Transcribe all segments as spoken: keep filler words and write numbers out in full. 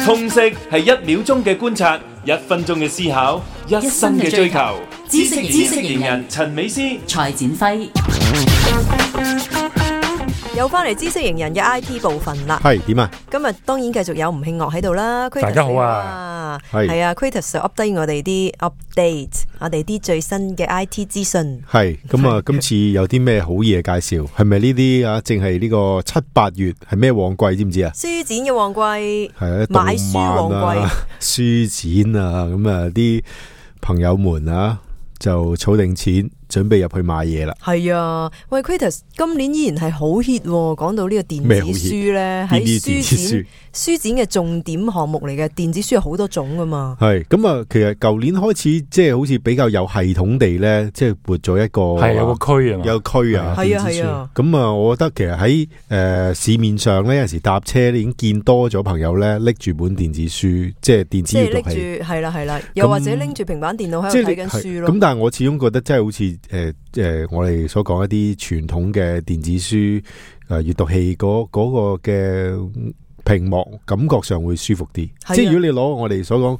通識係一秒鐘嘅觀察，一分鐘嘅思考，一生嘅追求。知識知識型人陳美詩、蔡展輝。又翻嚟知識型人嘅 I T 部分啦。係點啊？今日當然繼續有吳慶樂喺度啦。大家好啊，係啊 ，Kratos 就 update 我哋啲 update， 我哋啲最新嘅 I T 資訊。係咁啊，今次有啲咩好嘢介紹？係咪呢啲啊？淨係呢個七八月係咩旺季？知唔知啊？書展嘅旺季，係啊，買書旺季，書展啊，咁啊啲朋友們啊就儲定錢。準備入去買嘢啦。係啊，喂 Kratos 今年依然係好 hit，講到呢個電子書咧，喺書展書展嘅重點項目嚟嘅。電子書有好多種噶嘛。係咁啊，其實舊年開始即係好似比較有系統地咧，即係撥咗一個係有個區啊，有個區啊，係啊係啊。咁啊，我覺得其實喺誒、呃、市面上咧，有陣時搭車已經見多咗朋友咧拎住本電子書，即係電子閱讀器，係啦係啦，又或者拎住平板電腦喺度睇緊書咯。咁但係我始終覺得真係好似誒誒，我哋所講一啲傳統嘅電子書誒閱讀器嗰嗰、嗰個嘅屏幕，感覺上會舒服啲。即係如果你攞我哋所講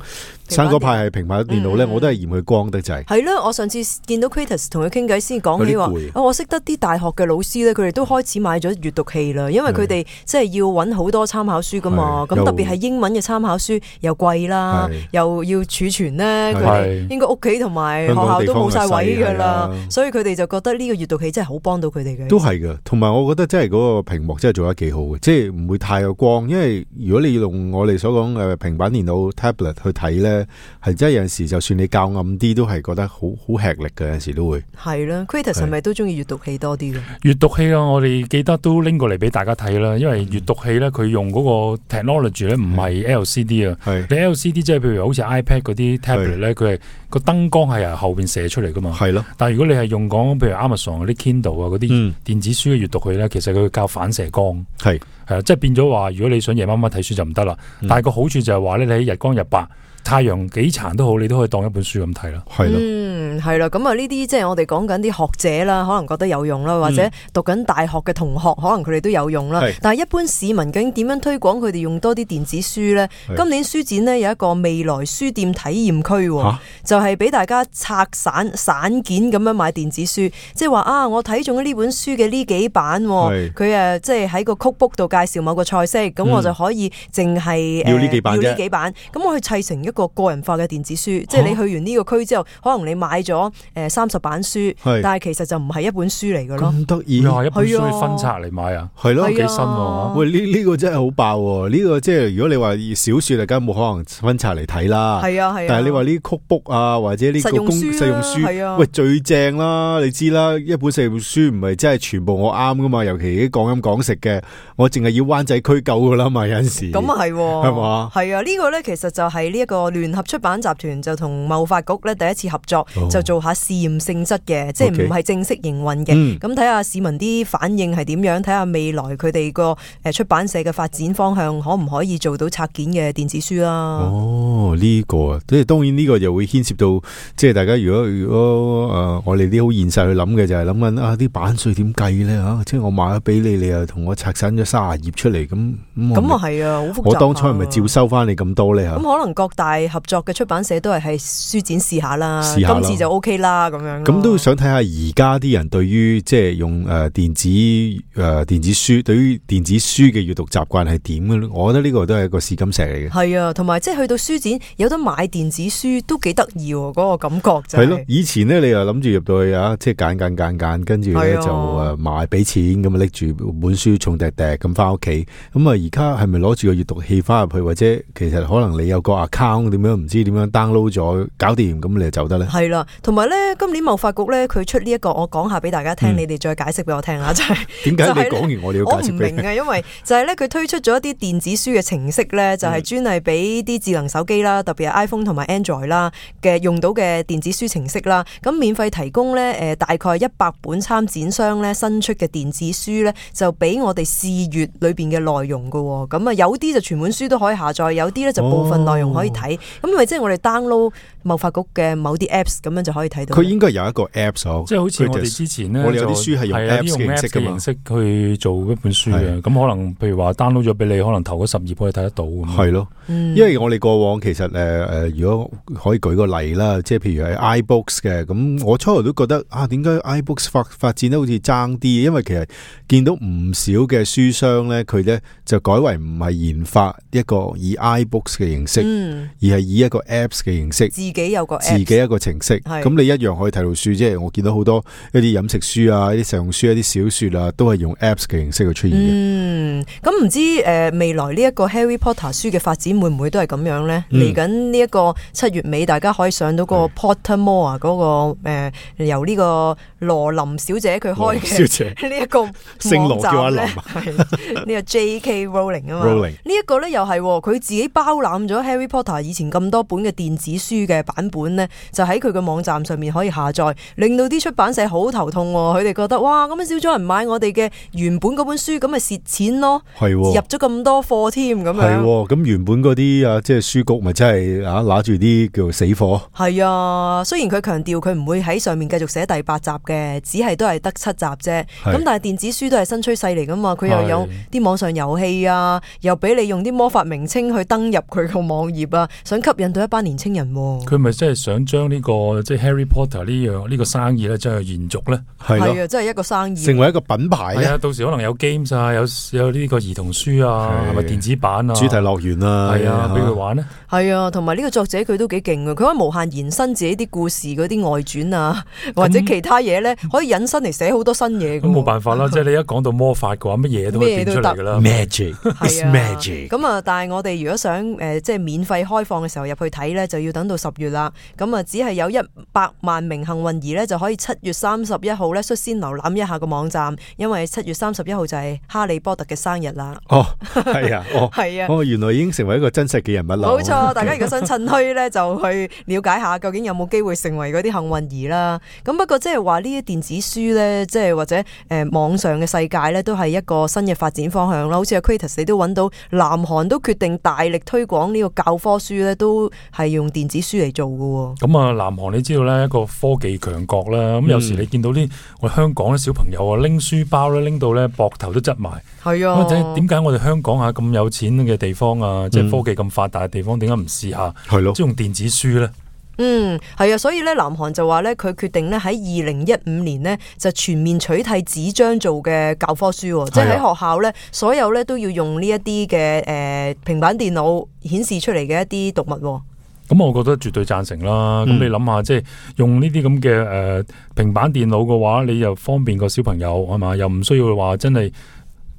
生果派係平板電腦咧，我都係嫌佢光得滯。係咯，我上次見到 Kratos 同佢傾偈先講起話，哦，我識得啲大學嘅老師咧，佢哋都開始買咗閱讀器啦，因為佢哋即係要揾好多參考書噶嘛。咁特別係英文嘅參考書又貴啦，又要儲存咧，佢哋應該屋企同埋學校都冇晒位噶啦，所以佢哋就覺得呢個閱讀器真係好幫到佢哋嘅。都係噶，同埋我覺得真係嗰個屏幕真係做得幾好嘅，即係唔會太有光，因為如果你要用我哋所講誒平板電腦 tablet 去睇咧，係真係有陣時就算你較暗啲，都係覺得好好吃力嘅，有陣時都會係啦。Kratos 係咪都中意閱讀器多啲嘅？閱讀器啊，我哋記得都拎過嚟俾大家睇啦。因為閱讀器咧，佢用嗰個 technology 咧，唔係 L C D 啊。你 L C D 即係譬如好似 iPad 嗰啲 tablet 咧，佢係個燈光係由後邊射出嚟噶嘛。係咯。但係如果你係用講譬如 Amazon 嗰啲 Kindle 啊嗰啲電子書嘅閱讀器咧，其實佢較反射光。係係啊，即係變咗話，如果你想夜晚晚睇書就唔得啦。嗯、但係個好處就係話咧，你喺日光日白，太陽幾殘都好，你都可以當一本書咁睇啦。係咯，嗯，係啦，咁啊呢啲即係我哋講緊啲學者啦，可能覺得有用啦，或者讀緊大學嘅同學，可能佢哋都有用啦。但係一般市民究竟點樣推廣佢哋用多啲電子書呢？今年書展呢，有一個未來書店體驗區，啊、就係俾大家拆散散件咁樣買電子書，即係話啊，我睇中呢本書嘅呢幾版，佢誒即係喺個 cookbook 度介紹某個菜式，咁、嗯、我就可以淨係要呢幾版啫，要呢幾版，咁我去砌成一個個人化嘅電子書，即係你去完呢個區之後，可能你買咗誒三十版書，但係其實就唔係一本書嚟㗎咯。咁得意，一本書分拆嚟買啊，係咯，幾新喎。喂，呢呢個真係好爆喎！呢個即係如果你話小説，梗係冇可能分拆嚟睇啦。係啊係啊。但係你話呢啲 cookbook啊，或者呢個公實用書，喂最正啦！你知啦，一本實用書唔係真係全部我啱㗎嘛，尤其啲講飲講食嘅，我淨係要灣仔區夠㗎啦嘛，有陣時。咁啊係，係嘛？係啊，呢個咧其實就係呢一個聯合出版集團就同貿發局咧第一次合作，哦、就做下試驗性質嘅，即係唔係正式營運嘅。咁睇下市民啲反應係點樣，睇下未來佢哋個誒出版社嘅發展方向可唔可以做到拆件嘅電子書啦。哦，呢、這個啊，即係當然呢個又會牽涉到，即係大家如果如果誒、呃、我哋啲好現實去諗嘅就係諗緊啊啲版稅點計咧吓，即係我買咗俾你，你又同我拆散咗卅頁出嚟，咁咁啊係啊，好複雜。我當初係咪照收翻你咁多咧吓？咁可能各大合作嘅出版社都係喺書展試下啦，今次就 OK 啦咁樣。咁都想睇下而家啲人對於即係用誒電子誒、呃、電子書，對於電子書嘅閱讀習慣係點嘅咧？我覺得呢個都係一個試金石嚟嘅。係啊，同埋即係去到書展有得買電子書都幾得意喎，嗰、那個感覺就係、是。係咯，以前咧你又諗住入到去啊，即係揀揀揀揀，跟住咧就誒買俾錢咁啊，拎住本書重滴滴咁翻屋企。咁啊，而家係咪攞住個閱讀器翻入去，或者其實可能你有個 account 點樣唔知點樣 download 咗搞掂，咁你就走得咧？係啦，同埋咧今年貿發局咧佢出呢、這、一個，我講下俾大家聽，嗯、你哋再解釋俾我聽啊！就係點解你講完我哋要解釋俾你？我唔明啊，因為就係咧佢推出咗一啲電子書嘅程式咧，就係專係俾啲智能手機啦，特別係 iPhone 同埋 Android 啦嘅用到嘅電子書程式啦。咁免費提供咧誒大概一百本參展商咧新出嘅電子書咧，就俾我哋試閱裏邊嘅內容噶。咁啊有啲就全本書都可以下載，有啲咧就部分內容可以睇。睇。咁咪即係我哋 download 貿發局嘅某啲 apps 咁樣就可以睇到。佢應該有一個 apps， 即係好似我哋之前咧，我哋有啲書係用 apps 嘅形式去做一本書嘅。咁可能譬如話 download 咗俾你，可能頭嗰十頁可以睇得到。係咯，因為我哋過往其實誒誒，如果可以舉個例啦，即係譬如係 iBooks 嘅，咁我初頭都覺得啊，點解 iBooks 發發展得好似爭啲？因為其實見到唔少嘅書商咧，佢咧就改為唔係研發一個以 iBooks 嘅形式，嗯、而係以一個 apps 嘅形式，自己有個 apps， 自己一個程式。咁你一樣可以睇到書，即係我見到好多一啲飲食書啊、一啲實用書、一啲小說啊，都係用 apps 嘅形式去出現嘅。嗯，咁唔知誒、呃、未來呢一個 Harry Potter 書嘅發展會唔會都係咁樣咧？嚟緊呢一個七月尾，大家可以上到個 Pottermore 嗰、那個誒、呃、由呢個羅琳小姐佢開嘅呢一個網站咧，係呢個 J K Rowling 啊嘛。Rowling 呢一個咧又係佢自己包攬咗 Harry Potter 以前咁多本嘅電子書嘅版本咧，就喺佢嘅網站上面可以下載，令到啲出版社好頭痛。佢哋覺得哇，咁樣少咗人買我哋嘅原本嗰本書，咁咪蝕錢咯。係入咗咁多貨添，咁樣。係咁原本嗰啲啊，即係書局咪真係啊，拿住啲叫做死貨。係啊，雖然佢強調佢唔會喺上面繼續寫第八集嘅，只係都係得七集啫。咁但係電子書都係新趨勢嚟噶嘛，佢又有啲網上遊戲啊，又俾你用啲魔法名稱去登入佢個網頁啊，想吸引到一班年青人。佢咪真係想將呢、這個即係 Harry Potter 呢樣呢個生意咧，真係延續咧？係啊，真係一個生意，成為一個品牌。係啊，到時可能有 games 啊，有有呢個兒童書啊，係咪電子版啊？主題樂園啊，係啊，俾佢玩咧。係啊，同埋呢個作者佢都幾勁啊！佢可以無限延伸自己啲故事嗰啲外傳啊，或者其他嘢咧，可以引申嚟寫好多新嘢。咁冇辦法啦，即係你一講到魔法嘅話，乜嘢都可以變出嚟噶啦。Magic，係啊 ，Magic。咁啊，但係我哋如果想誒、呃，即係免費開放嘅時候入去睇咧，就要等到十月啦。咁啊，只係有一百萬名幸運兒咧，就可以七月三十一號咧率先瀏覽一下個網站，因為七月三十一號就係哈利波特嘅生日啦。哦，係啊，哦，係啊，哦，原來已經成為一個真實嘅人物啦。冇錯，大家如果想趁墟咧，就去了解下究竟有冇機會成為嗰啲幸運兒啦。咁不過即係話呢啲電子書咧，即係或者誒、呃、網上嘅世界咧，都係一個新嘅發展方向啦。好似阿 Kratos 你都揾到，南韓都決定大力推廣呢個教科書咧，都係用電子書嚟做嘅。咁啊，南韓你知道咧，一個科技強國啦。咁有時你見到啲我香港啲小朋友啊，拎書包咧，拎到咧膊頭都執埋。係啊，點解我哋香港啊咁有錢嘅地方啊，嗯、即係科技咁發達嘅地方，點解唔試下？係咯，即係用電子書咧。嗯，係啊，所以咧，南韓就話咧，佢決定咧喺二零一五年呢，就全面取締紙張做嘅教科書，即係喺學校咧，所有咧都要用呢一啲嘅誒平板電腦顯示出嚟嘅一啲讀物。咁我覺得絕對贊成啦。咁、嗯、你諗下，即係用呢啲咁嘅誒平板電腦嘅話，你又方便個小朋友係嘛，又唔需要話真係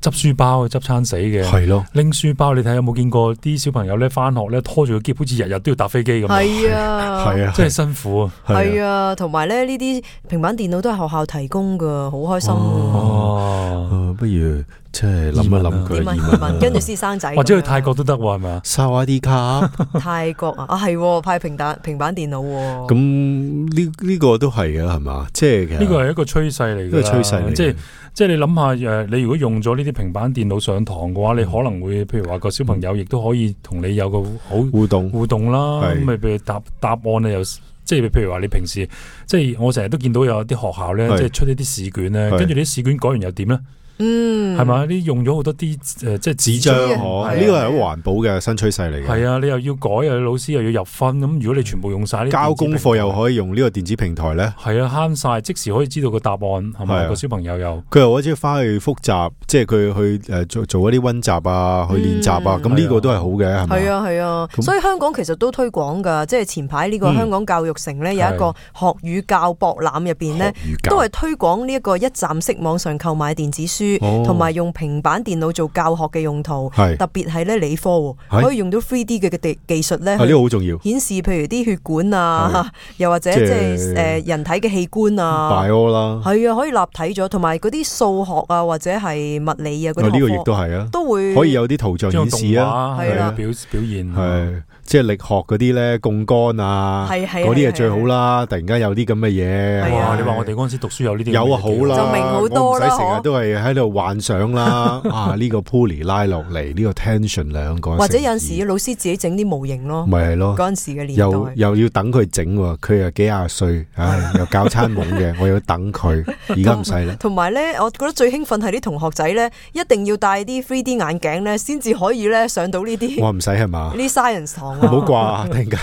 執書包執餐死嘅。係咯，拎書包你睇有冇見過啲小朋友咧翻學咧拖住個篋，好似日日都要搭飛機咁。係啊，係啊，真係辛苦啊。係啊，同埋咧呢啲平板電腦都係學校提供噶，好開心。哦，哦不如。即係諗一諗佢移民，跟住先生仔，或者去泰國都得喎，係咪啊？沙瓦迪卡，泰國啊，啊係派平板平板電腦。咁呢呢個都係嘅，係嘛？即係呢個係一個趨勢嚟嘅，一個趨勢嚟。即係即係你諗下誒，你如果用咗呢啲平板電腦上堂嘅話，你可能會譬如話個小朋友亦都可以同你有個好互動互動啦。咁咪譬如答答案咧又。即係譬如話你平時即係我成日都見到有啲學校咧，即係出呢啲試卷咧，跟住啲試卷改完又點咧？嗯，係咪？你用咗好多啲誒，即係紙張，呢個係好環保嘅新趨勢嚟嘅。係啊，你又要改，又老師又要入分，咁如果你全部用晒呢，交功課又可以用呢個電子平台咧，係啊，慳晒，即時可以知道個答案，係咪個小朋友又佢又可以翻去複習，即係佢去誒做做一啲溫習啊，去練習啊，咁呢個都係好嘅，係咪？係啊係啊，所以香港其實都推廣噶，即係前排呢個香港教育城咧有一個學與教博覽入邊咧，都係推廣呢一個一站式網上購買電子書。同埋用平板電腦做教學嘅用途，特別係咧理科，可以用到 三 D 嘅嘅技術咧，呢個好重要，顯示譬如啲血管啊，又或者即係誒人體嘅器官啊 bio 啦，係啊，可以立體咗，同埋嗰啲數學啊或者係物理啊嗰啲學科，呢個亦都係啊，都會可以有啲圖像顯示啊，係啦，表表現係。即係力學嗰啲咧，槓桿啊，嗰啲係最好啦。突然間有啲咁嘅嘢，哇！你話我哋嗰陣時讀書有呢啲，有啊，好啦，就明好多啦。我唔使成日都係喺喺度幻想啦，啊呢個 pulley 拉落嚟，呢個 tension 兩個，或者有陣時老師自己整啲模型咯，咪係咯，嗰陣時嘅年代又又要等佢整，佢又幾廿歲，唉又教餐懵嘅，我要等佢，而家唔使啦。同埋咧，我覺得最興奮係啲同學仔咧，一定要戴啲 three D 眼鏡咧，先至可以咧上到呢啲。我唔使係嘛？呢 science 堂唔好掛，突然間，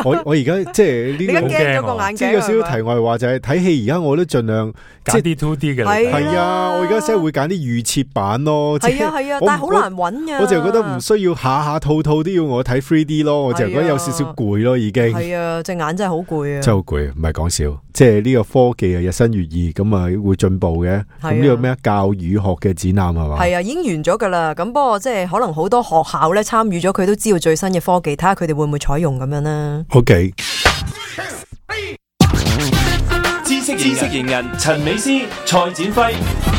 我我而家即係呢個驚咗個眼鏡。即係有少少題外話就係睇戲，而家我都盡量揀啲 two D 嘅。係啊，我而家真係會揀啲預設版咯。係啊係啊，但係好難揾㗎。我就覺得唔需要下下套套都要我睇 three D 咯，我就覺得有少少攰咯，已經。係啊，隻眼真係好攰啊！真係好攰，唔係講笑。即係呢個科技啊，日新月異，咁啊會進步嘅。咁呢個咩教語學嘅展覽係嘛？係啊，已經完咗㗎啦。咁不過即係可能好多學校咧參與咗，佢都知道最新嘅科技，睇下佢哋會唔會採用咁樣啦。OK。知識型人陳美詩、蔡展輝。